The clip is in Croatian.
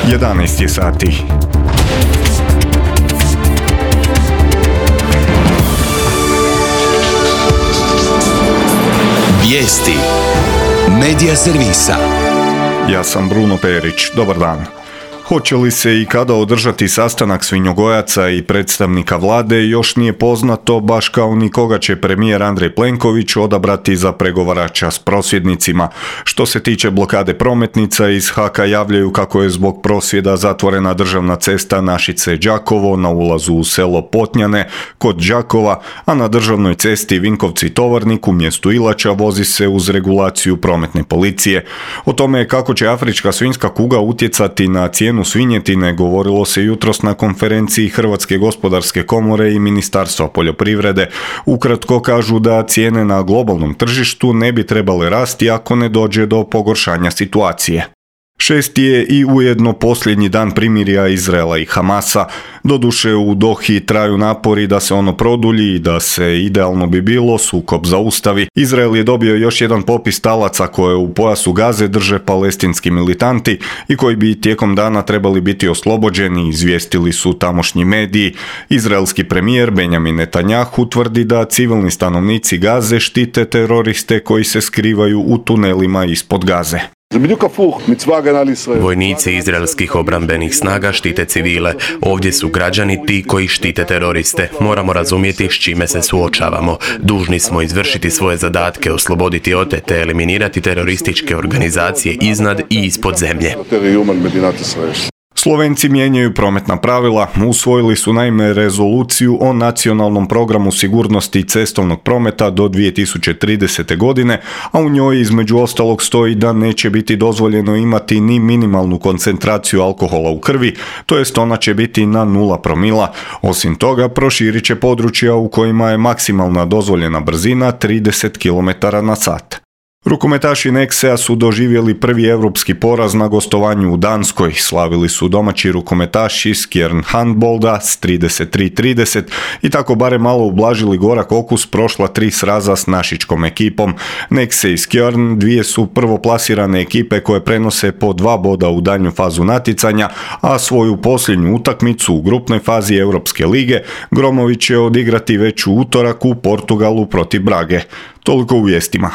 11 je sati. Vijesti Medija servisa. Ja sam Bruno Perić. Dobar dan. Hoće li se i kada održati sastanak svinjogojaca i predstavnika vlade još nije poznato, baš kao ni koga će premijer Andrej Plenković odabrati za pregovarača s prosvjednicima. Što se tiče blokade prometnica, iz HAK-a javljaju kako je zbog prosvjeda zatvorena državna cesta Našice-Đakovo na ulazu u selo Potnjane kod Đakova, a na državnoj cesti Vinkovci-Tovarnik u mjestu Ilača vozi se uz regulaciju prometne policije. O tome kako će afrička svinjska kuga utjecati na cijenu svinjetine govorilo se jutros na konferenciji Hrvatske gospodarske komore i Ministarstva poljoprivrede. Ukratko kažu da cijene na globalnom tržištu ne bi trebale rasti ako ne dođe do pogoršanja situacije. 6. je i ujedno posljednji dan primirja Izraela i Hamasa. Doduše u Dohi traju napori da se ono produlji i da se, idealno bi bilo, sukob zaustavi. Izrael je dobio još jedan popis talaca koje u pojasu Gaze drže palestinski militanti i koji bi tijekom dana trebali biti oslobođeni, izvijestili su tamošnji mediji. Izraelski premijer Benjamin Netanjahu tvrdi da civilni stanovnici Gaze štite teroriste koji se skrivaju u tunelima ispod Gaze. Vojnici izraelskih obrambenih snaga štite civile. Ovdje su građani ti koji štite teroriste. Moramo razumjeti s čime se suočavamo. Dužni smo izvršiti svoje zadatke, osloboditi otete, eliminirati terorističke organizacije iznad i ispod zemlje. Slovenci mijenjaju prometna pravila, usvojili su naime rezoluciju o nacionalnom programu sigurnosti cestovnog prometa do 2030. godine, a u njoj između ostalog stoji da neće biti dozvoljeno imati ni minimalnu koncentraciju alkohola u krvi, to jest ona će biti na 0 promila. Osim toga, proširit će područja u kojima je maksimalna dozvoljena brzina 30 km/h. Rukometaši Nexea su doživjeli prvi europski poraz na gostovanju u Danskoj. Slavili su domaći rukometaši Skjern Handbolda s 33-30 i tako barem malo ublažili gorak okus prošla 3 sraza s našičkom ekipom. Nexe i Skjern dvije su prvoplasirane ekipe koje prenose po 2 boda u daljnju fazu natjecanja, a svoju posljednju utakmicu u grupnoj fazi Europske lige Gromović će odigrati već u utorak u Portugalu protiv Brage. Toliko u vijestima.